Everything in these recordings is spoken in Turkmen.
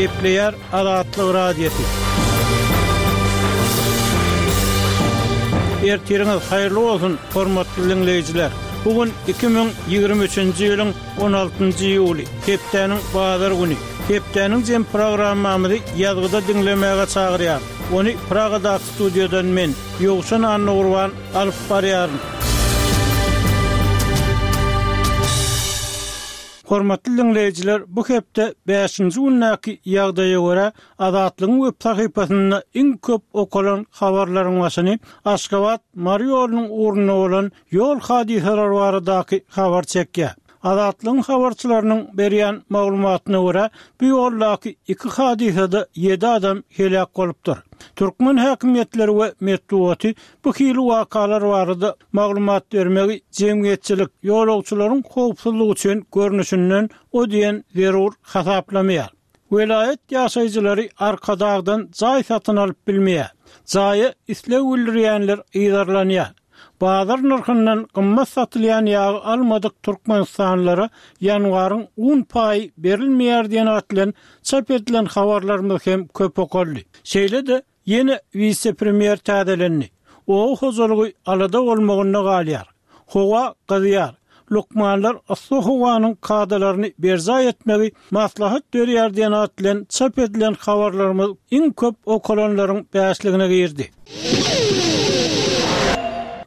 Gepleýär Azatlyk Radiosy. Ertiriňiz haýyrly bolsun, hormatly diňleýjiler! Bu gün 2023-nji ýylyň 16-njy iýuly, hepdäniň bazar güni. Hepdäniň jem programmamyzy ýazgyda diňlemäge çagyrýar. Ony Pragadaky studiýadan men, Ýowşan Annagurban alyp barýaryn. Hormatly diňleýjiler, bu hepde bäşinji gündäki ýagdaýa görä, Azatlygyň web sahypasynda iň köp okalan habarlaryň başyny Aşgabat, Mary ýolunyň ugrunda bolan ýol hadysalary baradaky habar çekýär. Azatlygyň habarçylarynyň berýän maglumatyna görä, bu ýoldaky iki hadysada ýedi adam heläk bolupdyr. Türkmen häkimiýetleri we metbugaty bu hili wakalar barada maglumat bermegi jemgyýetçilik, ýolagçylaryň howpsuzlygy üçin görnüşinden o diýen zerur hasaplamaýar. Welaýat ýaşaýjylary Arkadagdan jaý satyn alyp bilmeýär. Jaýa isleg bildirýänler yzarlanýar. Bazar nyrhyndan gymmat satylýan ýagy almadyk türkmenistanlylara ýanwaryň un paýy berilmeýär diýen at bilen çap edilen habarlarymyz hem köp okaldy. Şeýle-de, Ýene wise-premýer täzelendi. Oba hojalygy alada bolmagynda galýar. Howa gyzýar. Lukmanlar yssy howanyň kadalaryny berjaý etmegi maslahat berýär diýen at bilen çap edilen habarlarymyz iň köp okalanlaryň bäşligine girdi.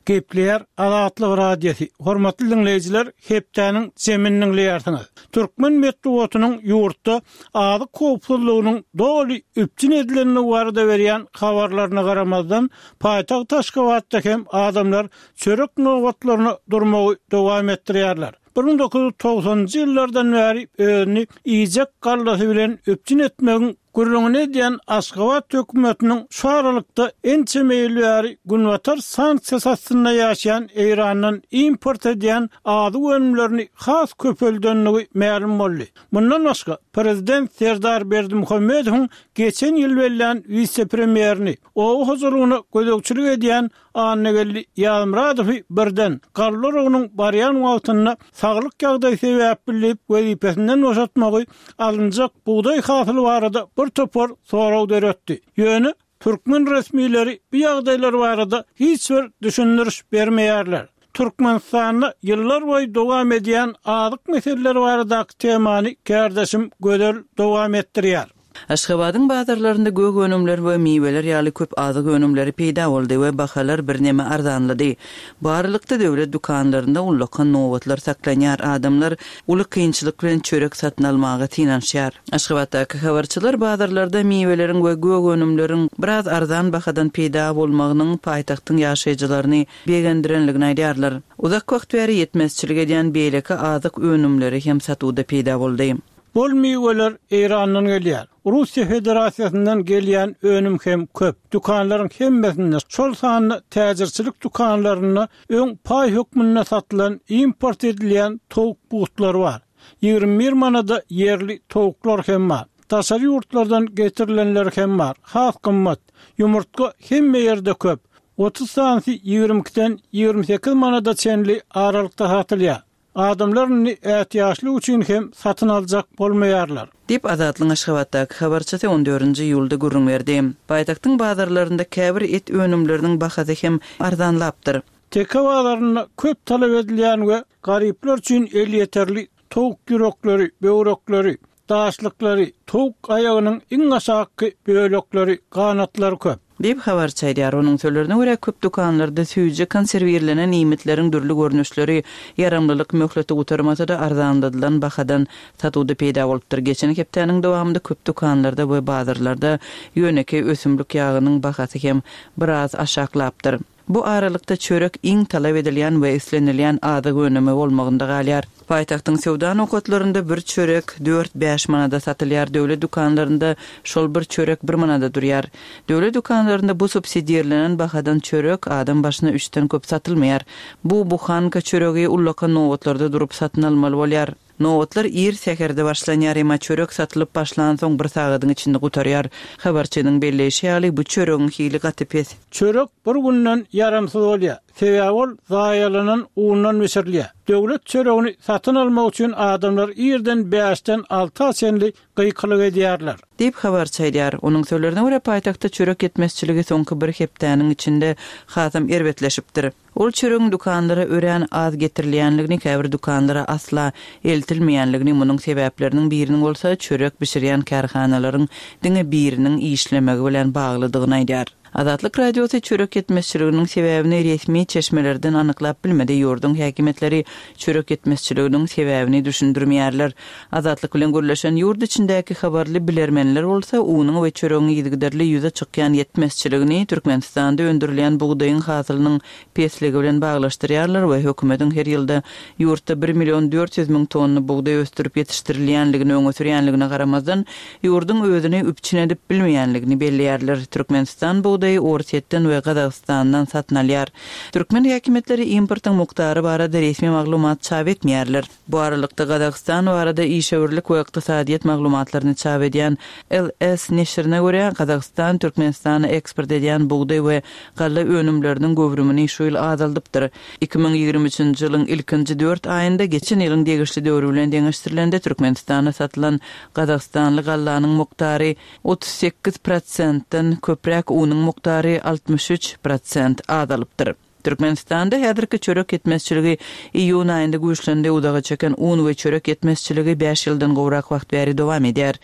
Gepleýär Azatlyk Radiosy, Hormatly diňleýjiler, hepdäniň jemini diňleýärsiňiz. Türkmen metbugatynyň ýurtda azyk howpsuzlygynyň doly üpjün edilendigi barada berýän habarlaryna garamazdan, paýtagt Aşgabatda hem adamlar çörek nobatlaryna durmagy dowam etdirýärler. 1990-njy ýyllardan bäri özüni iýjek gallasy bilen üpjün etmegiň gürrüňini edýän Aşgabat hökümetiniň şu aralykda ençeme ýyl bäri Günbatar sanksiýasy astynda ýaşaýan Eýrandan import edýän azyk önümlerini has köpeldendigi mälim boldy. Mundan başga, prezident Serdar Berdimuhamedowyň geçen ýyl bellän wise-premýerini, oba hojalygyna gözegçilik edýän Annageldi Ýazmyradowy birden, galla oragynyň barýan wagtynda saglyk ýagdaýy sebäpli diýip wezipesinden boşatmagy alynjak bugdaý hasyly barada bir topar sorag döretdi. Ýöne, Türkmen resmileri bu ýagdaýlar barada hiç bir düşündiriş bermeýärler. Türkmenistanda ýyllarboýy dowam edýän azyk meseleleri baradaky temany kärdeşim Gözel dowam etdirýär. Aşgabadyň bazarlarynda gök önümler we miweler ýaly köp azyk önümleri peýda boldy we bahalar birneme arzanlady. Bu aralykda döwlet dükanlarynda ullakan nobatlar saklanýar, adamlar uly kynçylyk bilen çörek satyn almaga synanyşýar. Aşgabatdaky habarçylar bazarlarda miweleriň we gök önümleriň biraz arzan bahadan peýda bolmagynyň paýtagtyň ýaşaýjylaryny begendirenligini aýdýarlar. Uzak wagt bäri ýetmezçilik edýän beýleki azyk önümleri hem satuwda peýda boldy. Bol miweler Eýrandan gelýär. Russiýa Federasiýasyndan gelýän önüm hem köp. Dükanlaryň hemmesinde, şol sanda täjirçilik dükanlarynda öň paý hökmünde satylan import edilýän towuk butlary bar. 21 manada ýerli towuklar hem bar. Daşary ýurtlardan getirilenleri hem bar. Has gymmat. Ýumurtga hemme ýerde köp. 30 sanysy 22-den 28 manada çenli aralykda satylýar. Adamlar indi ätiýaçlyk üçin hem satyn aljak bolmaýarlar. Diýip, Azatlygyň Aşgabatdaky habarçysy on dördünji iýulda gürrüň berdi. Paýtagtyň bazarlarynda käbir et önümleriniň bahasy hem arzanlapdyr. Teke bazarynda köp talap edilýän we garyplar üçin elýeterli towuk ýürekleri, böwrekleri, daşlyklary, towuk aýagynyň iň aşakky bölekleri, ganatlary köp. Diýip, habarçy aýdýar. Onuň sözlerine görä, köp dükanlarda süýji, konserwirlenen iýmitleriň dürli görnüşleri ýaramlylyk möhleti gutarmasa-da arzanladylan bahadan satuwda peýda bolupdyr. Geçen hepdäniň dowamynda köp dükanlarda we bazarlarda ýönekeý ösümlik ýagynyň bahasy hem biraz aşaklapdyr. Bu aralykda çörek iň talap edilýän we islenilýän azyk önümi bolmagynda galýar. Paýtagtyň söwda nokatlarynda bir çörek dört-bäş manada satylýar, döwlet dükanlarynda şol bir çörek bir manada durýar. Döwlet dükanlarynda bu subsidirlenen bahadan çörek adam başyna üçden köp satylmaýar. Bu buhanka çöregi ullakan nobatlarda durup satyn almaly bolýar. Nobatlar ir säherde başlanýar, emma çörek satylyp başlansoň bir sagadyň içinde gutarýar. Habarçynyň belleýşi ýaly, bu çöregiň hili gaty pes. Çörek bir günden ýaramsyz bolýar, sebäbi ol zaýalanan undan bişirilýär. Döwlet çöregini satyn almak üçin adamlar irden bäşden alta çenli gykylyk edýärler. Diýip, habarçy aýdýar. Onuň sözlerine görä, paýtagtda çörek ýetmezçiligi soňky bir hepdäniň içinde hasam erbetleşipdir. Ol çöregiň dükanlara örän az getirilýänligini, käbir dükanlara asla eltilmeýänligini, munuň sebäpleriniň biriniň bolsa çörek bişirýän kärhanalaryň diňe biriniň işlemegi bilen baglydygyny aýdýar. Azatlyk Radiosy çörek ýetmezçiliginiň sebäbini resmi çeşmelerden anyklap bilmedi, ýurduň häkimiýetleri çörek ýetmezçiliginiň sebäbini düşündirmeýärler. Azatlyk bilen gürleşen ýurt içindäki habarly bilermenler bolsa, unuň we çöregiň yzygiderli ýüze çykýan ýetmezçiligini Türkmenistanda öndürilýän bugdaýyň hasylynyň pesligi bilen baglaşdyrýarlar we hökümetiň her ýylda ýurtda bir million 400 müň tonna bugdaý ösdürip ýetişdirilýänligini öňe sürýänligine garamazdan, ýurduň özüni üpjün edip bilmeýänligini belleýärler. Türkmenistan bugdaýy Orsýetden we Gazagystandan satyn alýar. Türkmen häkimiýetleri importyň mukdary barada resmi maglumat çap etmeýärler. Bu aralykda, Gazagystan barada işewürlik we ykdysadyýet maglumatlaryny çap edýän LS neşirine görä, Gazagystan Türkmenistana eksport edýän bugdaý we galla önümleriniň göwrümini şu ýyl azaldypdyr. 2023-nji ýylyň ilkinji dört aýynda geçen ýylyň degişli döwri bilen deňeşdirilende Türkmenistana satylan gazagystanly gallanyň mukdary 38 prosentden köpräk, unuň mukdary 63 prosent azalypdyr. Türkmenistanda häzirki çörek ýetmezçiligi iýun aýynda güýçlendi, uzaga çeken un we çörek ýetmezçiligi bäş ýyldan gowrak wagt bäri dowam edýär.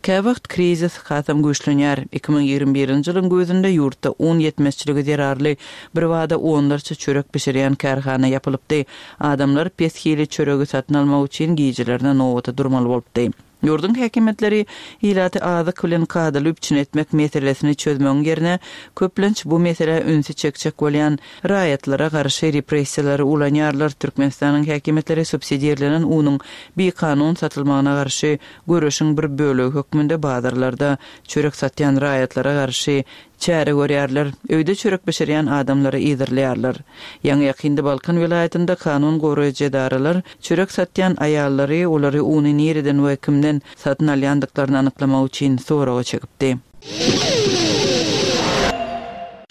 Käwagt krizis hasam güýçlenýär. 2021-nji ýylyň güýzünde ýurtda un ýetmezçiligi zerarly birbada onlarça çörek bişirýän kärhana ýapylypdy. Adamlar pes hili çöregi satyn almak üçin gijelerine nobata durmaly bolupdy. Ýurduň häkimiýetleri ilaty azyk bilen kadaly üpjün etmek meselesini çözmegiň ýerine, köplenç bu meselä ünsi çekjek bolýan raýatlara garşy repressiýalary ulanýarlar. Türkmenistanyň häkimiýetleri subsidirlenen unuň bikanun satylmagyna garşy göreşiň bir bölegi hökmünde bazarlarda çörek satýan raýatlara garşy Çäre görýärler, öýde çörek bişirýän adamlary yzarlaýarlar. Ýaňy-ýakynda Balkan welaýatynda kanun goraýjy edaralar çörek satýan aýallary, olary uny nireden we kimden satyn alýandyklaryny anyklamak üçin soraga çekipdi.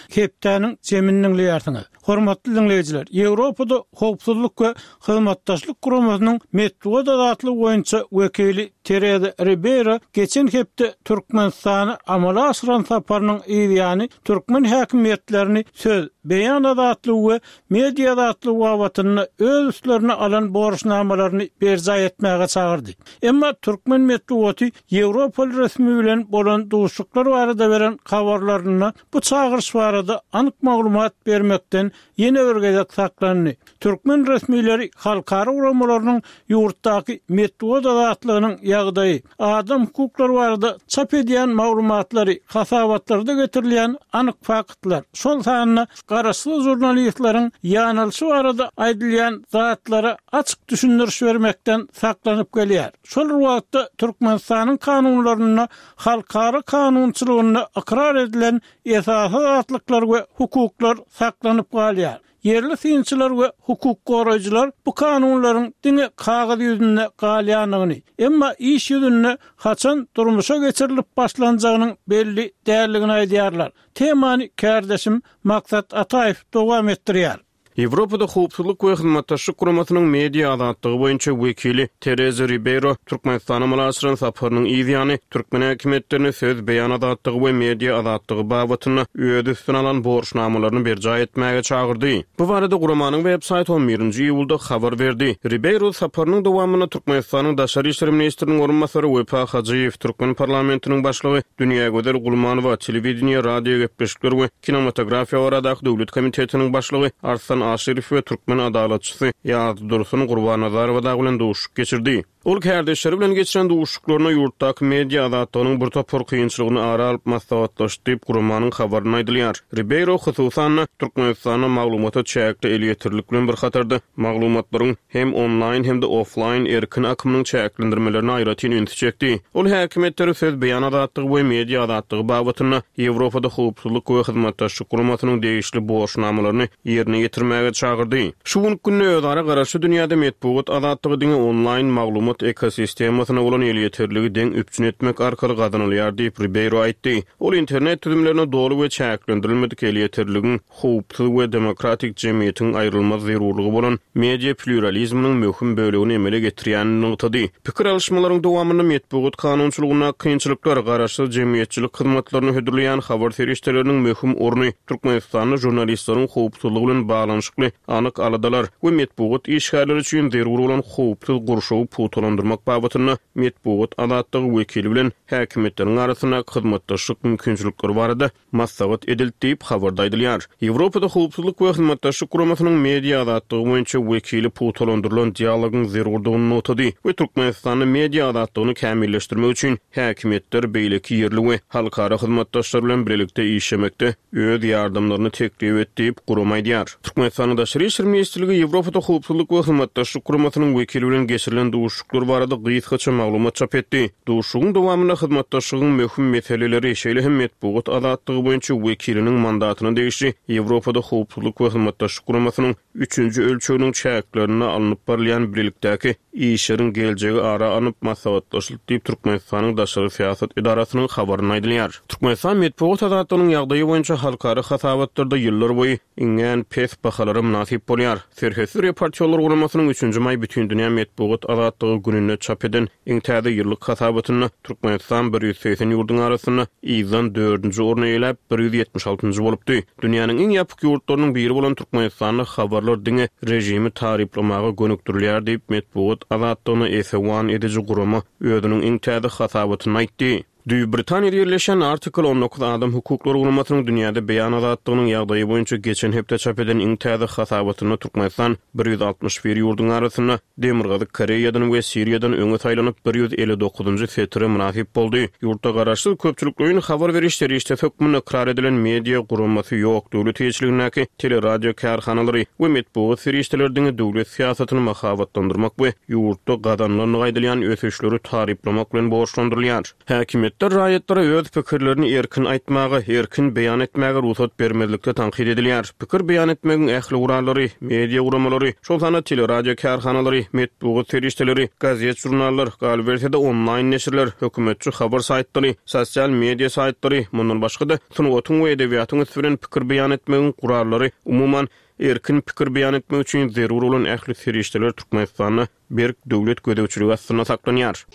Hepdäniň jemini diňleýärsiňiz. Hormatly diňleýjiler, Ýewropada Howpsuzlyk we Hyzmatdaşlyk Guramasynyň metbugat azatlygy boýunça wekili Tereza Ribeýro geçen hepde Türkmenistana amala aşyran saparynyň yzýany türkmen häkimiýetlerini söz, beýan azatlygy we media azatlygy babatynda öz üstlerine alan borçnamalaryny berjaý etmäge çagyrdy. Emma türkmen metbugaty ýewropaly resmi bilen bolan duşuşyklar barada beren habarlarynda bu çagyryş barada anyk maglumat bermekden ýene bir gezek saklandy. Türkmen resmileri halkara guramalarynyň ýurtdaky metbugat azatlygynyň ýagdaýy, adam hukuklary barada çap edýän maglumatlary, hasabatlarda getirilýän anyk faktlar, şol sanda garaşsyz žurnalistleriň ýanalyşy barada aýdylýan zatlara açyk düşündiriş bermekden saklanyp gelýär. Şol bir wagtda, Türkmenistanyň kanunlarynda halkara kanunçylygynda ykrar edilen esasy azatlyklar we hukuklar saklanyp galýar. Ýerli synçylar we hukuk goraýjylar bu kanunlaryň diňe kagyz ýüzünde galýandygyny, emma iş ýüzünde haçan durmuşa geçirilip başlanjagynyň belli däldigini aýdýarlar. Temany kärdeşim Maksat Ataýew dowam etdirýär. Ýewropada Howpsuzlyk we Hyzmatdaşlyk Guramasynyň media azatlygy boýunça wekili Tereza Ribeýro Türkmenistana amala aşyran saparynyň yz ýany, türkmen häkimiýetlerini söz, beýan azatlygy we media azatlygy babatynda öz üstüne alan borçnamalaryny berjaý etmäge çagyrdy. Bu barada guramanyň web saýty on birinji iýulda habar berdi. Ribeýro saparynyň dowamynda Türkmenistanyň daşary işler ministriniň orunbasary Wepa Hajyýew, türkmen parlamentiniň başlygy Dünýägözel Gulmanowa, telewideniýe, radiogepleşikler we kinematografiýa baradaky döwlet komitetiniň başlygy Arslan Aşyrow we türkmen adalatçysy Ýazdursun Gurbannazarowa dagy bilen duşuşyk geçirdi. Ol kärdeşleri bilen geçiren duşuşyklarynda ýurtdaky media azatlygynyň bir topar kynçylygyny ara alyp maslahatlaşdy diýip, guramanyň habarynda aýdylýar. Ribeýro, hususan-da, Türkmenistanda maglumata çäkli elýeterlilik bilen bir hatarda, maglumatlaryň hem onlaýn, hem-de oflaýn erkin akymynyň çäklendirmelerine aýratyn ünsi çekdi. Ol häkimiýetleri söz, beýan azatlygy we media azatlygy babatynda Ýewropada Howpsuzlyk we Hyzmatdaşlyk Guramasynyň degişli borçnamalaryny ýerine ýetirmäge çagyrdy. Şu günki günde özara garaşly dünýäde metbugat azatlygy diňe onlaýn maglumat. maglumat ekosistemasyna bolan elýeterligi deň üpjün etmek arkaly gazanylýar diýip, Ribeýro aýtdy. Ol internet düzümlerine doly we çäklendirilmedik elýeterligiň howpsuz we demokratik jemgyýetiň aýrylmaz zerurlygy bolan media plýuralizminiň möhüm bölegini emele getirýänini nygtady. Pikir alyşmalaryň dowamynda metbugat kanunçylygyndaky kynçylyklar, garaşsyz jemgyýetçilik hyzmatlaryny hödürleýän habar serişdeleriniň möhüm orny, Türkmenistanda žurnalistleriň howpsuzlygy bilen baglanyşykly anyk aladalar we metbugat işgärleri üçin zerur bolan howpsuz gurşawy pugtalandyrmak babatynda metbugat azatlygy wekili bilen häkimiýetleriň arasyndaky hyzmatdaşlyk mümkinçilikleri barada maslahat edildi diýip, habarda aýdylýar. Ýewropada Howpsuzlyk we Hyzmatdaşlyk Guramasynyň media azatlygy boýunça wekili pugtalandyrylan dialogyň zerurdygyny nygtady we Türkmenistanda media azatlygyny kämilleşdirmek üçin häkimiýetler beýleki ýerli we halkara hyzmatdaşlar bilen bilelikde işlemekde öz ýardamlaryny teklip etdi diýip, gurama aýdýar. Türkmenistanyň Daşary işler ministrligi Ýewropada Howpsuzlyk we Hyzmatdaşlyk Guramasynyň wekili bilen geçirilen duşuşyklar barada gysgaça maglumat çap etdi. Duşuşygyň dowamynda hyzmatdaşlygyň möhüm meseleleri, şeýle hem metbugat azatlygy boýunça wekiliniň mandatyna degişli Ýewropada Howpsuzlyk we Hyzmatdaşlyk Guramasynyň üçünji ölçeginiň çäklerinde alnyp barylýan bilelikdäki işleriň geljegi ara alnyp maslahatlaşyldy diýip, Türkmenistanyň daşary syýasat edarasynyň habarynda aýdylýar. Türkmenistan metbugat azatlygynyň ýagdaýy boýunça halkara hasabatlarda ýyllarboýy iňňän pes bahalara mynasyp bolýar. Serhetsiz reportýorlar guramasynyň üçünji maý Bütindünýä metbugat azatlygy gününde çap eden iň täze ýyllyk hasabatynda Türkmenistan 180 ýurduň arasynda yzdan dördünji orny eýeläp, 176 altynjy bolupdy. Dünýäniň iň ýapyk ýurtlarynyň biri bolan Türkmenistanda habarlar diňe režimi taryplamaga gönükdirilýär diýip, metbugat azatlygyna esewan ediji gurama özüniň iň täze hasabatynda aýtdy. Düýbi Britaniýada ýerleşýän Article 19 adam hukuklary guramasynyň dünýäde beýan azatlygynyň ýagdaýy boýunça geçen hepde çap eden iň täze hasabatynda Türkmenistan 161 ýurduň arasynda Demirgazyk Koreýadan we Siriýadan öňe saýlanyp, 159-njy setire mynasyp boldy. Ýurtda garaşsyz köpçülikleýin habar beriş serişdesi hökmünde ykrar edilen media guramasy ýok, döwlet eýeçiligindäki teleradio kärhanalary we metbugat serişdeleri diňe döwlet syýasatyny mahabatlandyrmak we ýurtda gazanylandygy aýdylýan ösüşleri taryplamak bilen borçlandyrylýar. Häkimiýetler raýatlara öz pikirlerini erkin aýtmaga, erkin beýan etmäge rugsat bermezlikde tankyt edilýär. Pikir beýan etmegiň ähli gurallary, media guramalary, şol sanda teleradio kärhanalary, metbugat serişdeleri, gazet-žurnallar, galyberse-de onlaýn neşirler, hökümetçi habar saýtlary, sosial media saýtlary, mundan başga-da, sungatyň we edebiýatyň üsti bilen pikir beýan etmegiň gurallary, umuman, Erkin pikir beýan etmek üçin zerur bolan ähli serişdeler Türkmenistanda berk döwlet gözegçiligi astynda saklanýar.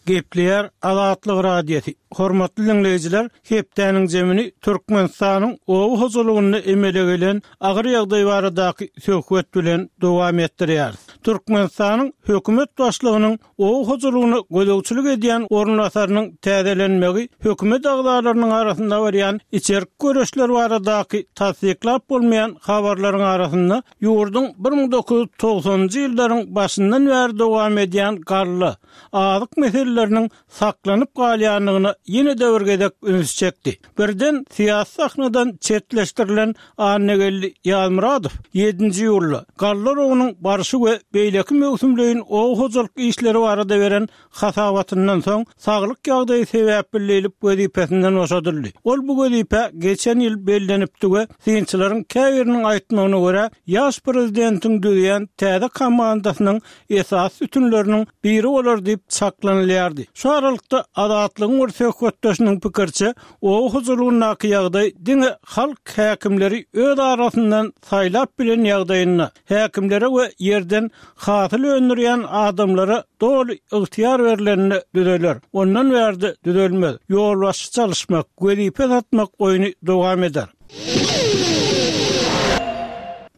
Gepleýär Azatlyk Radiosy, Hormatly diňleýjiler, hepdäniň jemini Türkmenistanyň oba hojalygynda emele gelen agyr ýagdaý baradaky söhbet bilen dowam etdirýäris. Türkmenistanyň hökümet başlygynyň Oba hojalygyna gözegçilik edýän orunbasarynyň täzelenmegi hökümet agzalarynyň arasynda barýan içerki göreşler baradaky tassyklap bolmaýan habarlaryň arasynda ýurduň 1990-njy ýyllaryň başyndan bäri dowam edýän galla, azyk meseleleriniň saklanyp galýandygyna ýene-de bir gezek üns çekdi. Birden syýasy sahnadan çetleşdirilen Annageldi Ýazmyradow ýedinji iýulda galla oragynyň barşy we beýleki möwsümleýin oba hojalyk işleri barada beren hasabatyndan soň, saglyk ýagdaýy sebäpli diýlip wezipesinden boşadyldy. Ol bu wezipä geçen ýyl bellenipdi we synçylaryň käbiriniň aýtmagyna görä, ýaş prezidentiň düzýän täze komandasynyň esasy sütünleriniň biri bolar diýip çaklanylýardy. Şu aralykda, Azatlygyň bir söhbetdeşiniň pikiriçe, oba hojalygyndaky ýagdaý diňe halk häkimleri öz arasyndan saýlap bilen ýagdaýynda, häkimlere we ýerden hasyl öndürýän adamlara doly ygtyýar berlende düzeler. Ondan bärde düzelmez. Ýolbaşçy çalyşmak, wezipe satmak oýny dowam eder.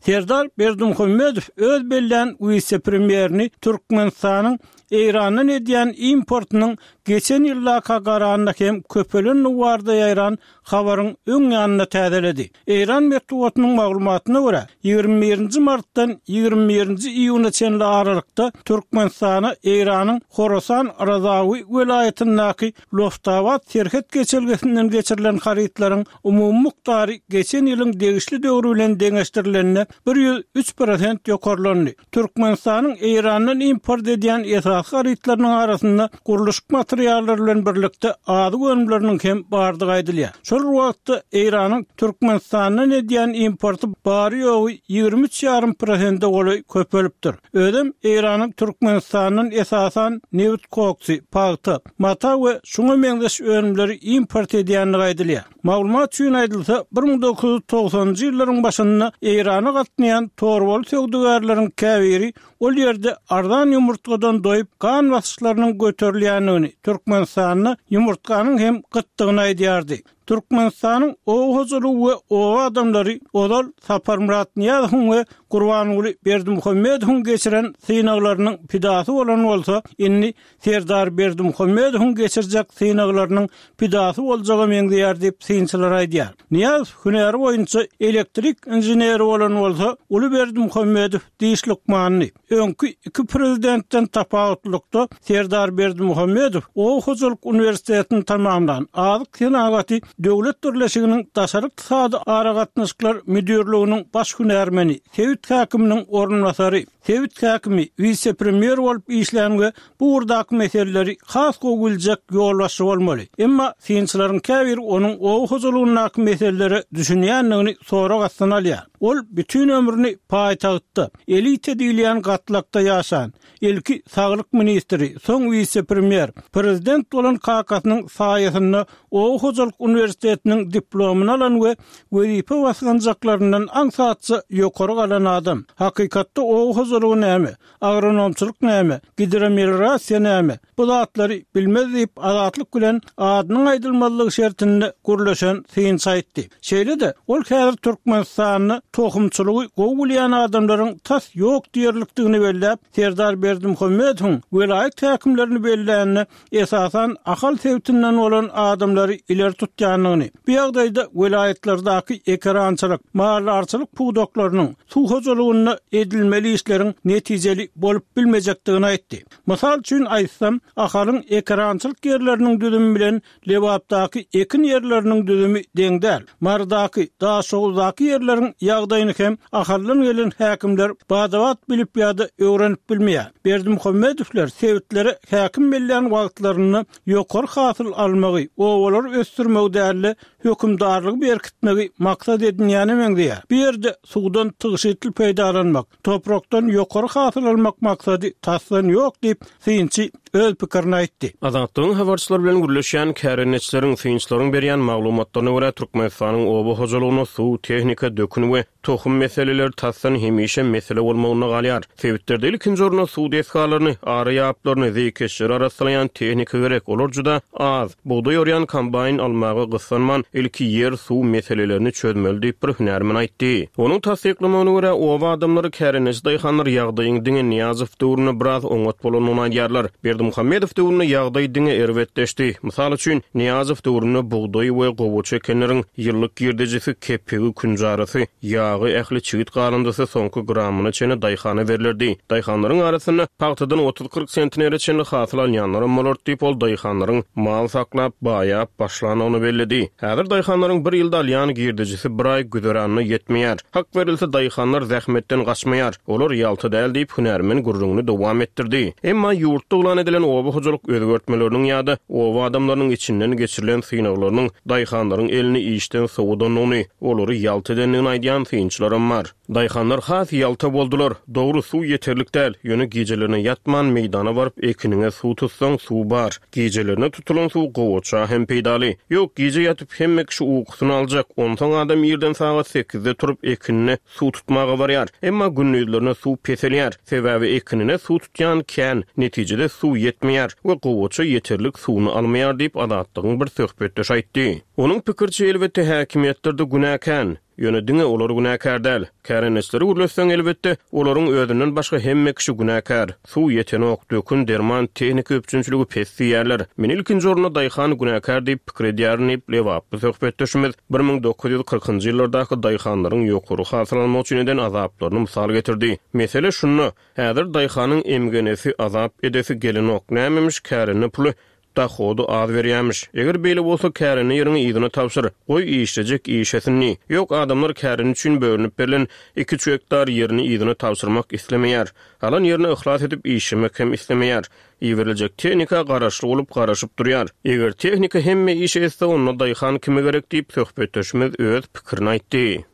Serdar Berdimuhamedow öz bellän wise-premýerini Türkmenistanyň Eýrandan edýän importynyň geçen ýyldaka garanda hem köpelendigi barada ýaýran habaryň öň ýanynda täzeledi. Eýran metbugatynyň maglumatyna görä, 21 nji martdan 21 nji iýuna çenli aralykda Türkmenistana Eýranyň Horasan Razawi welaýatyndaky Loftabat serhet geçelgesinden geçirilen harytlaryň umumy mukdary geçen ýylyň degişli döwri bilen deňeşdirilende 103 prosent ýokarlandy. Türkmenistanyň Eýrandan import edýän esasy harytlarynyň arasynda gurluşyk materiallary bilen birlikde azyk önümleriniň hem bardygy aýdylýar. Şol bir wagtda, Eýranyň Türkmenistandan edýän importy bary-ýogy 23 ýarym prosente golaý köpelipdir. Özem Eýranyň Türkmenistandan esasan nebit koksy, pagta, mata we şuňa meňzeş önümleri import edýändigi aýdylýar. Maglumat üçin aýdylsa, 1990-njy ýyllaryň başynda Eýrana gatnaýan torbaly söwdagärleriň käbiri ol ýerde arzan ýumurtgadan doýup, gan basyşlarynyň göterilýändigini, Türkmenistanda ýumurtganyň hem gytdygyny aýdýardy. Türkmenistanyň oba hojalygy we oba adamlary ozal Saparmyrat Nyýazowyň we Gurbanguly Berdimuhamedowyň geçiren synaglarynyň pidasy bolan bolsa, indi Serdar Berdimuhamedowyň geçirjek synaglarynyň pidasy boljaga meňzeýär diýip, synçylar aýdýar. Nyýazow hünäri boýunça elektrik inženeri bolan bolsa, uly Berdimuhamedow diş lukmanydy. Öňki iki prezidentden tapawutlylykda, Serdar Berdimuhamedow oba hojalyk uniwersitetini tamamlan, Azyk senagaty döwlet birleşiginiň daşary ykdysady aragatnaşyklar müdirliginiň baş hünärmeni, sebit häkiminiň orunbasary, Sebit häkimi, wise-premýer bolup işlän we bu ugurdaky meseleleri has gowy biljek ýolbaşçy bolmaly. Emma synçylaryň käbiri onuň oba hojalygyndaky meselelere düşünýändigini sorag astyna alýar. Ol bütin ömrüni paýtagtda, elita diýilýän gatlakda ýaşan, ilki saglyk ministri, soň wise-premýer, prezident bolan kakasynyň saýasynda oba hojalyk uniwersitetiniň diplomyny alan we wezipe basgançaklaryndan aňsatja ýokary galan adam. Hakykatda oba hojalygy näme, agronomçylyk näme, gidromeliorasiýa näme, bu zatlary bilmez diýip, Azatlyk bilen adynyň aýdylmazlygy şertinde gürleşen synçy aýtdy. Şeýle-de, ol häzir Türkmenistanda tohumçylygy gowy bilýän adamlaryň tas ýok diýerlikdigini belläp, Serdar Berdimuhamedowyň welaýat häkimlerini bellände esasan Ahal sebitinden bolan adamlary ileri tutýandygyny, bu ýagdaýda welaýatlardaky ekerançylyk, maldarçylyk pudaklarynyň, suw hojalygynda edilmeli işleriň netijeli bolup bilmejekdigini aýtdy. Mysal üçin aýtsam, Ahalyň ekerançylyk ýerleriniň düzümi bilen Lebapdaky ekin ýerleriniň düzümi deň däl. Marydaky, Daşoguzdaky ýerleriň ýagdaýyny hem Ahaldan gelen häkimler bada-bat bilip ýa-da öwrenip bilmeýär. Berdimuhamedowlar sebitlere häkim bellän wagtlarynda ýokary hasyl almagy, obalary ösdürmegi däl-de, hökümdarlygy berkitmegi maksat edinýäne meňzeýär. Bu ýerde suwdan tygşytly peýdalanmak, Toprakdan ýokary hasyl almak maksady tasdan ýok diýip, synçy öz pikirini aýtdy. Azatlygyň habarçylary bilen gürleşýän kärendeçileriň, synçylaryň berýän maglumatlaryna görä, Türkmenistanyň oba hojalygynda suw, tehnika, dökün we tohum meseleleri tasdan hemişe mesele bolmagynda galýar. Sebitlerde ilkinji orunda suw desgalaryny, ara ýaplaryny, zeýkeşleri arassalaýan tehnika gerek, olar juda az. Bugdaý orýan kombaýn almaga gyssanman, ilki ýer-suw meselelerini çözmeli diýip, bir hünärmen aýtdy. Onuň tassyklamagyna görä, oba adamlary, kärendeçi daýhanlar ýagdaýyň diňe Nyýazow döwründe biraz oňat bolandygyny aýdýarlar. Berdimuhamedow döwründe ýagdaý diňe erbetleşdi. Mysal üçin, Nyýazow döwründe bugdaý we gowaça ekenleriň ýyllyk girdejisi, kepegi, künjarasy, ýagy, ähli çigit galyndysy soňky gramyna çenli daýhana berlerdi. Daýhanlaryň arasynda pagtadan 30-40 sentnere çenli hasyl alýanlaram bolardy diýip, ol daýhanlaryň mal saklap, baýap başlandygyny belledi. Häzir daýhanlaryň bir ýylda alýan girdejisi bir aý güzeranyna ýetmeýär. Hak berilse, daýhanlar zähmetden gaçmaýar. Olar ýalta däl diýip, hünärmen gürrüňini dowam etdirdi. Emma ýurtda yglan edilen oba hojalyk özgertmeleriniň ýa-da oba adamlarynyň içinden geçirilen synaglarynyň daýhanlaryň elini işden sowadandygyny, olary ýalta edendigini aýdýan synçylaram bar. Daýhanlar has ýalta boldular. Dogry, suw ýeterlik däl, ýöne gijelerine ýatman meýdana baryp ekiniňe suw tutsaň, suw bar. Gijelerine tutulan suw gowaça hem peýdaly. Ýok, gije ýatyp hemme kişi ukusyny aljak, onsoň adam irden sagat sekizde turup ekinine suw tutmaga barýar. Emma gündizlerine suw peselýär. Sebäbi ekinine suw tutýan kän, netijede suw ýetmeýär we gowaça ýeterlik suwuny almaýar diýip, Azatlygyň bir söhbetdeşi aýtdy. Onuň pikiriçe, elbetde, häkimiýetlerde günä kän. Ýöne diňe olar günäkär däl. Kärendeçileri gürletseň, elbetde, olaryň özünden başga hemme kişi günäkär. Suw ýetenok, dökün, derman, tehnika üpjünçiligi pes diýýärler. Men ilkinji orunda daýhan günäkär diýip pikir edýärin diýip, lebaply söhbetdeşimiz 1940-njy ýyllardaky daýhanlaryň ýokary hasyl almak üçin eden azaplaryny mysal getirdi. Mesele şunda, häzir daýhanyň emgenesi, azap edesi gelenok. Nämemiş kärende puly? Dahody az berýämiş. Eger beýle bolsa, kärende ýeriňi yzyna tabşyr. Goý, işlejek işlesin diý. Ýok, adamlar kärende üçin bölünip berlen iki-üç gektar ýerini yzyna tabşyrmak islemeýär. Alan ýerine yhlas edip işlemek hem islemeýär. Iberiljek tehnika garaşly bolup garaşyp durýar. Eger tehnika hemme işi etse, onda daýhan kime gerek diýip, söhbetdeşimiz öz pikirini aýtdy.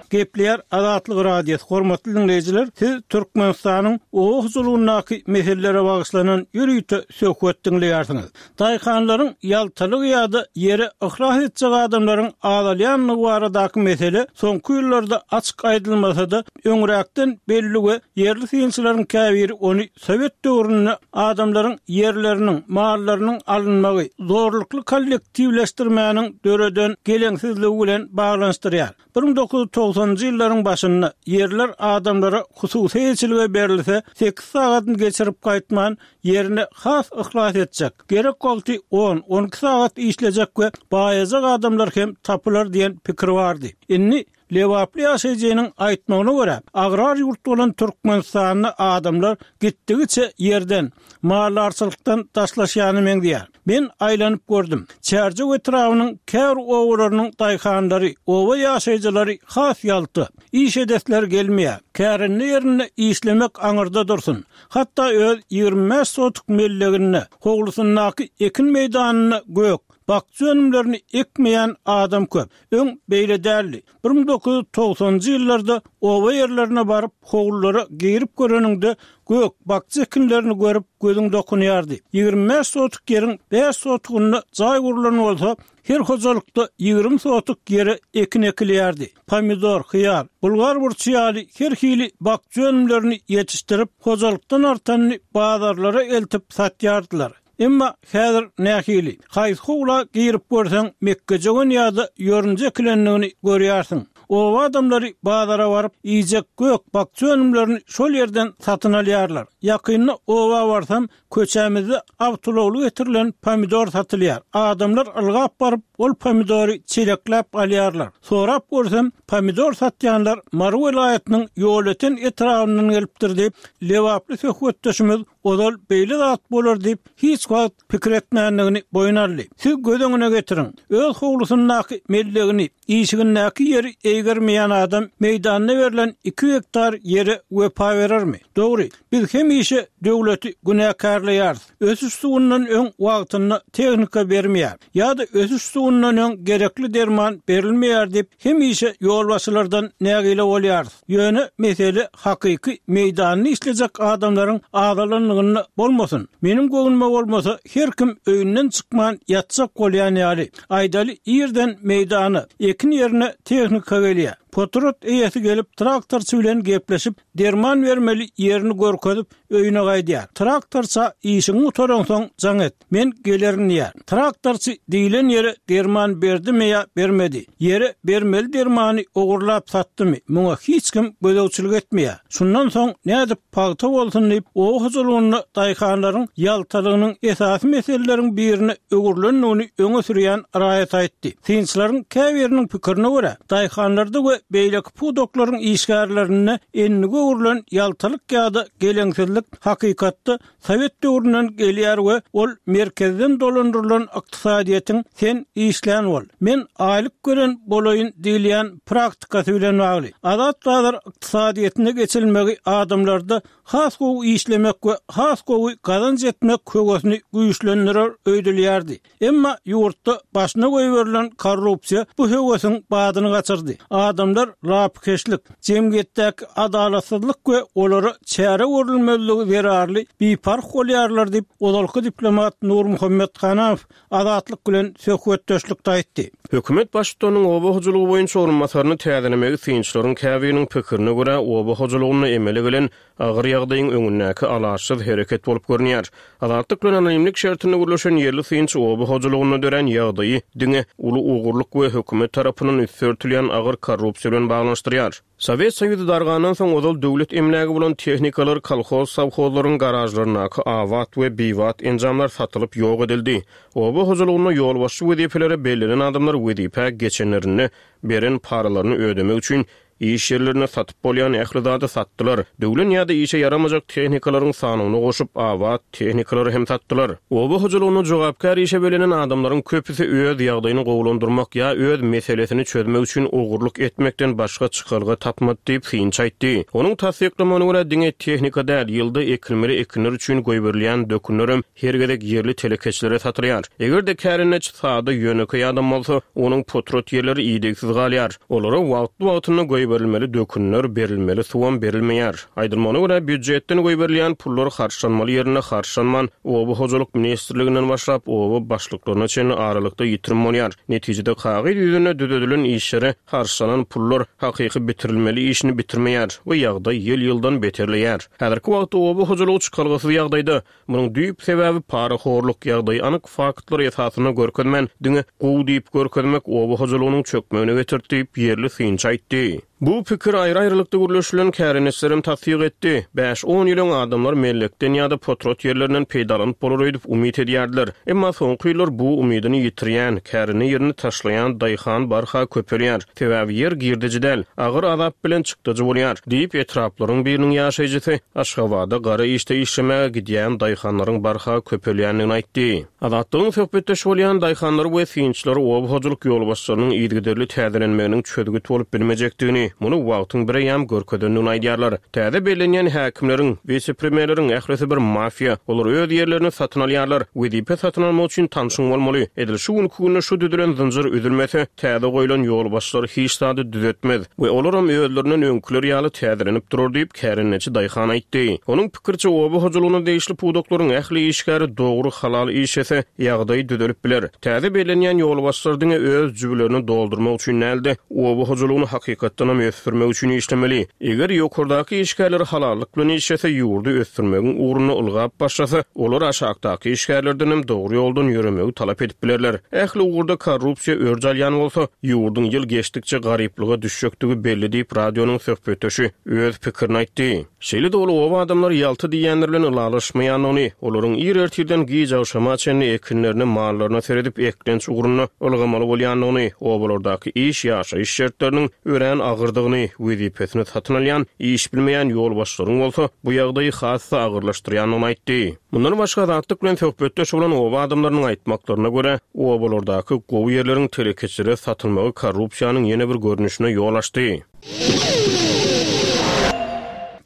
Gepleýär Azatlyk Radiosy, Hormatly diňleýjiler, siz Türkmenistanyň oba hojalygyndaky meselelere bagyşlanan ýörite söhbet diňleýärsiňiz. Daýhanlaryň ýaltalygy ýa-da ýere yhlas etjek adamlaryň azalýandygy baradaky mesele soňky ýyllarda açyk aýdylmasa-da, öňräkden belli we ýerli synçylaryň käbiri ony sowet döwründe adamlaryň ýerleriniň, mallarynyň alynmagy, zorlukly kollektiwleşdirmäniň döreden geleňsizligi bilen baglanyşdyrýar. 1990-njy ýyllaryň başynda ýerler adamlara hususy eýeçilige berilse, sekiz sagadyny geçirip gaýtman, ýerine has yhlas etjek, gerek wagty on, 12 sagat işlejek we baýajak adamlar hem tapylar diýen pikir bardy. Indi lebaply ýaşaýjynyň aýtmagyna görä, agrar ýurt bolan Türkmenistanda adamlar gitdigiçe ýerden, maldarçylykdan daşlaşýana meňzeýär. Men aýlanyp gördüm. Çärjew etrabynyň käbir obalarynyň daýhanlary, oba ýaşaýjylary has ýalta. Iş edesleri gelmeýär. Kärende ýerinde işlemek aňyrda dursun. Hatda öz 25 sotuk melleginde, howlusyndaky ekin meýdanynda gök, bakja önümlerini ekmeýän adam köp. Öň beýle däldi. 1990-njy ýyllarda oba ýerlerine baryp, howlulara girip göreniňde, gök, bakja ekinlerini görüp, gözüň dokunýardy. 25 sotuk ýeriň bäş sotugynda jaý gurlan bolsa, her hojalykda 20 sotuk ýere ekin ekilýärdi. Pomidor, hyýar, bulgar burçy ýaly her hili bakja önümlerini ýetişdirip, hojalykdan artanyny bazarlara eltip satýardylar. Emma häzir nähili? Haýsy howla girip görseň, mekgejöwen ýa-da ýorunja ekilendigini görýärsiň. Oba adamlary bazara baryp, iýjek gök, bakja önümlerini şol ýerden satyn alýarlar. Ýakynda oba barsam, köçämizde awtoulagly getirilen pomidor satylýar. Adamlar ylgap baryp, ol pomidory çelekläp alýarlar. Sorap görsem, pomidor satýanlar Mary welaýatynyň Ýolöten etrabyndan gelipdir diýip, lebaply söhbetdeşimiz ozal beýle zat bolar diýip hiç wagt pikir etmändigini boýun aldy. Siz göz öňüne getiriň, öz howlusyndaky mellegini, işigindäki ýeri eýgermeýän adam meýdanda berlen iki gektar ýere wepa berermi? Dogry, biz hemişe döwleti günäkärleýäris, ösüş suwundan öň wagtynda tehnika bermeýär ýa-da ösüş suwundan öň gerekli derman berilmeýär diýip hemişe ýolbaşçylardan nägile bolýarys. Ýöne mesele hakyky meýdanda işlejek adamlaryň azalanlygynda bolmasyn. Meniň göwnüme bolmasa her kim öýünden çykman ýatjak bolýan ýaly. Aýdaly irden meýdana, ekin ýerine tehnika gelýär. Potrat eýesi gelip traktorçy bilen gepleşip derman bermeli ýerini görkezip öýüne gaýdýar. Traktorça işiňi gutaraňsoň jaň et. Men gelerin diýýär. Traktorçy diýlen ýere derman berdimi ýa bermedi, ýere bermeli dermany ogurlap satdymy, muňa hiç kim gözegçilik etmeýär. Şundan soň nädip pagta bolsun diýip, oba hojalygynda daýhanlaryň ýaltalygynyň esasy meseleleriň birine öwrülendigini öňe sürýän raýat aýtdy. Synçylaryň käbiriniň pikirine görä, daýhanlarda we beýleki pudaklaryň işgärlerinde endige öwrülen ýaltalyk ýa-da geleňsizlik hakykatda Sowet döwründen gelýär we ol merkezden dolandyrylan ykdysadyýetiň sen işlän bol, men aýlyk gören bolaýyn diýilýän praktikasy bilen bagly. Azat bazar ykdysadyýetine geçilmegi adamlarda has gowy işlemek we has gowy gazanç etmek höwesini güýçlendirer öýdülýärdi. Emma ýurtda başyna goýberilen korrupsiýa bu höwesiň badyny gaçyrdy. Adamlar lapykeçlik, jemgyýetdäki adalatsyzlyk we olara çäre görülmezligi zerarly biparh bolýarlar diýip, ozalky diplomat Nurmuhammet Hanamow Azatlyk bilen söhbetdeşlikde aýtdy. Hökümet baştutanynyň oba hojalygy boýunça orunbasaryny täzelemegi synçylaryň käbiriniň pikirine görä, oba hojalygynda emele gelen Agyr ýagdaýyň öňündäki alaçsyz hereket bolup görünýär. Azatlyk bilen anonimlik şertinde gürleşen ýerli synçy oba hojalygynda dörän ýagdaýy diňe uly ogurlyk we hökümet tarapyndan üsti örtülýän agyr korrupsiýa bilen baglanyşdyrýar. Sowet Soýuzy dargandan soň ozal döwlet emlägi bolan tehnikalar kolhoz-sowhozlaryň garažlaryndaky abat we bibat enjamlar satylyp ýok edildi. Oba hojalygynda ýolbaşçy wezipelere bellenen adamlar wezipä geçenlerinde beren paralaryny ödemek üçin. Iş ýerlerinde satyp bolýan ähli zady satdylar. Döwlen ýa-da işe ýaramajak tehnikalaryň sanyny goşup, abat tehnikalary hem satdylar. Oba hojalygynda jogapkär işe bellenen adamlaryň köpüsi öz ýagdaýyny gowulandyrmak ýa öz meselesini çözmek üçin ogurlyk etmekden başga çykalga tapmady diýip, synçy aýtdy. Onuň tassyklamagyna görä, diňe tehnika däl, ýylda ekilmeli ekinler üçin goýberilýän dökünlerem her gezek ýerli telekeçilere satylýar. Eger-de kärendeçi sada, ýönekeý adam bolsa, onuň potrat ýerleri idegsiz galýar. Olara wagtly-wagtynda goýberilmeli dökünler, berilmeli suwam berilmeýär. Aýdylmagyna görä, býujetden goýberilýän pullar harçlanmaly ýerinde harçlanman, Oba hojalyk ministrliginden başlap, oba başlyklaryna çenli aralykda ýitirim bolýar. Netijede kagyz ýüzünde düzedilen işlere harçlanan pullar hakyky bitirilmeli işini bitirmeýär we ýagdaý ýyl-ýyldan beterleýär. Häzirki wagtda oba hojalygy çykalgasyz ýagdaýda. Munuň düýp sebäbi parahorluk, ýagdaýy anyk faktlar esasynda görkezmän, diňe gowy diýip görkezmek oba hojalygynyň çökmegine getirdi diýip, ýerli synçy aýtdy. Bu pikiri aýry-aýrylykda gürleşilen kärendeçilerem tassyk etdi. Bäş-on ýyl öň adamlar mellekden ýa-da potrat ýerlerinden peýdalanyp bolar öýdüp umyt edýärdiler. Emma soňky ýyllar bu umydyny ýitirýän, kärende ýerini taşlaýan daýhan barha köpelýär. Sebäbi ýer girdeji däl, agyr azap bilen çykdajy bolýar, diýip, etraplaryň biriniň ýaşaýjysy Aşgabada gara işde işlemäge gidýän daýhanlaryň barha köpelýändigini aýtdy. Azatlygyň söhbetdeşi bolýan daýhanlary we synçylary oba hojalyk ýolbaşçylarynyň yzygiderli täzelenmeginiň çözgüt bolup bilmejekdigini, muny wagtyň bireýýäm görkezendigini aýdýarlar. Täze bellenýän häkimleriň, wise-premýerleriň ählisi bir mafiýa. Olar öz ýerlerini satyn alýarlar. Wezipe satyn almak üçin tanşyň bolmaly. Edil şu günki günde şu düzülen zynjyr üzülmese, täze goýlan ýolbaşçylar hiç zady düzetmez we olaram özlerinden öňküler ýaly täzelenip durar diýip, kärendeçi daýhan aýtdy. Onuň pikiriçe, oba hojalygyna degişli pudaklaryň ähli işgäri dogry, halal işlese, ýagdaý düzelip biler. Täze bellenýän ýolbaşçylar diňe öz jübülerini doldurmak üçin däl-de, oba hojalygyny hakykatdanam ösdürmek üçin işlemeli. Eger ýokardaky işgärler halallyk bilen işlese, ýurdy ösdürmegiň ugrunda ylgap başlasa, olar aşakdaky işgärlerdenem dogry ýoldan ýöremegi talap edip bilerler. Ähli ugurda korrupsiýa örç alýan bolsa, ýurduň ýyl geçdikçe garyplyga düşjekdigi belli diýip, radionyň söhbetdeşi öz pikirini aýtdy. Şeýle-de ol oba adamlary ýalta diýýänler bilen ylalaşmaýandygyny, olaryň ir ertirden giç agşama çenli ekinlerine, mallaryna seredip eklenç ugrunda ylgamaly bolýandygyny, obalardaky iş, ýaşaýyş şertleriniň örän agyrdygyny, wezipesini satyn alýan, iş bilmeýän ýolbaşçylaryň bolsa bu ýagdaýy has-da agyrlaşdyrýandygyny aýtdy. Mundan başga Azatlyk bilen söhbetdeş bolan oba adamlarynyň aýtmaklaryna görä, obalardaky gowy ýerleriň telekeçilere satylmagy korrupsiýanyň ýene bir görnüşine ýol açdy.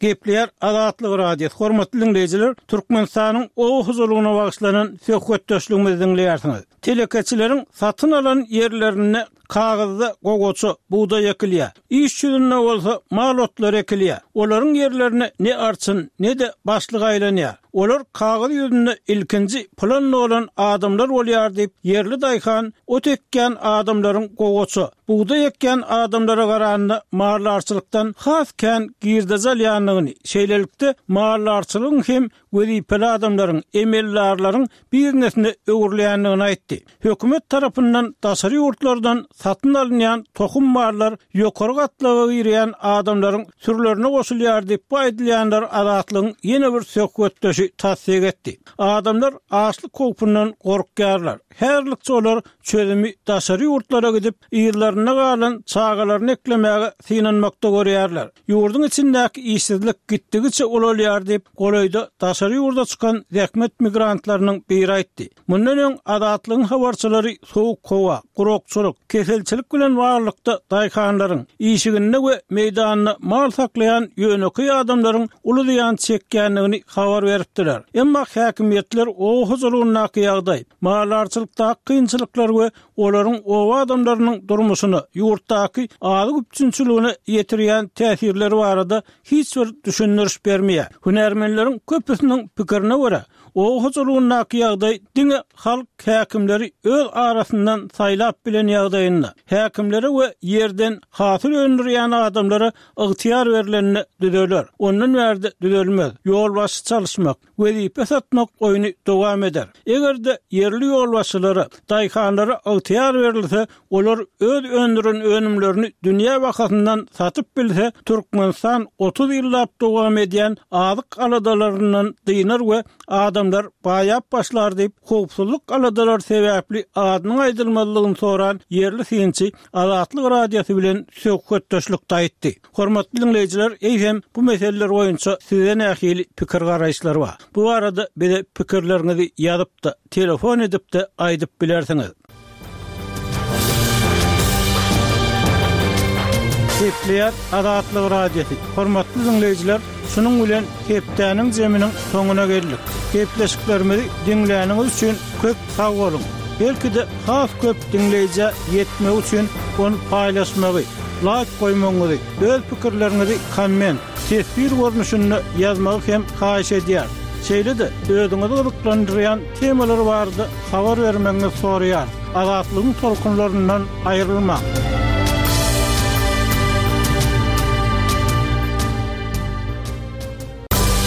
Gepleýär Azatlyk Radiosy, Hormatly diňleýjiler, Türkmenistanyň oba hojalygyna bagyşlanan söhbetdeşligimizi diňleýärsiňiz. Telekeçileriň satyn alan ýerlerinde kagyzda gowaça, bugdaý ekilýär. Iş ýüzünde bolsa mal otlary ekilýär. Olaryň ýerlerine ne arçyn, ne-de başlyk aýlanýar. Olar kagyz ýüzünde ilkinji plan dolan adamlar bolýar diýip, ýerli daýhan ot ekýän adamlaryň gowaça, bugdaý ekýän adamlara garanda maldarçylykdan has kän girdeji alýandygyny, şeýlelikde, maldarçylygyň hem wezipeli adamlaryň, emeldarlaryň biznesine öwrülýändigini aýtdy. Hökümet tarapyndan daşary ýurtlardan satyn alynýan tohum mallar ýokary gatlaga girýän adamlaryň sürülerine goşulýar diýip, bu aýdylýanlary Azatlygyň ýene bir söhbetdeşi tassyk etdi. Adamlar açlyk howpundan gorkýarlar. Häzirlikçe olar çözümi daşary ýurtlara gidip, yzlarynda galan çagalaryny eklemäge synanmakda görýärler. Ýurduň içindäki işsizlik gitdigiçe ulalýar diýip, golaýda daşary ýurda çykan zähmet migrantlarynyň biri aýtdy. Mundan öň Azatlygyň habarçylary sowuk howa, gurakçylyk, keselçilik bilen baglylykda daýhanlaryň, işiginde we meýdanynda mal saklaýan ýönekeý adamlaryň uly zyýan çekýändigini habar beripdiler. Emma häkimiýetler oba hojalygyndaky ýagdaý, maldarçylykdaky kynçylyklar we olaryň oba adamlarynyň durmuşyna, ýurtdaky azyk üpjünçiligine ýetirýän täsirleri barada hiç bir düşündiriş bermeýär. Hünärmenleriň köpüsiniň pikirine görä, oba hojalygyndaky ýagdaý diňe halk häkimleri öz arasyndan saýlap bilen ýagdaýynda, häkimlere we ýerden hasyl öndürýän adamlara ygtyýar berlende düzeler. Ondan bärde düzelmez. Ýolbaşçy çalyşmak, wezipe satmak oýny dowam eder. Eger-de ýerli ýolbaşçylara, daýhanlara ygtyýar berilse, olar öz öndüren önümlerini dünýä bahasyndan satyp bilse, Türkmenistan 30 ýyllap dowam edýän azyk aladalaryndan dynar we adamlar baýap başlar diýip, howpsuzlyk aladalary sebäpli adynyň aýdylmazlygyny soran ýerli synçy Azatlyk Radiosy bilen söhbetdeşlikde aýtdy. Hormatly diňleýjiler, eýsem, bu meseleler boýunça sizde nähili pikir-garaýyşlar bar? Bu barada bize pikirleriňizi ýazyp-da, telefon edip-de aýdyp bilersiňiz. Gepleýär Azatlyk Radiosy. Hormatly diňleýjiler, şunuň bilen hepdäniň jeminiň soňuna geldik. Gepleşiklerimizi diňläniňiz üçin köp sag boluň! Belki-de has köp diňleýjä ýetmegi üçin ony paýlaşmagy, laýk goýmagyňyzy, öz pikirleriňizi komment, teswir görnüşinde ýazmagy hem haýyş edýäris. Şeýle-de özüňizi gyzyklandyrýan temalar barada habar bermegiňizi soraýarys. Azatlygyň tolkunlaryndan aýrylmaň!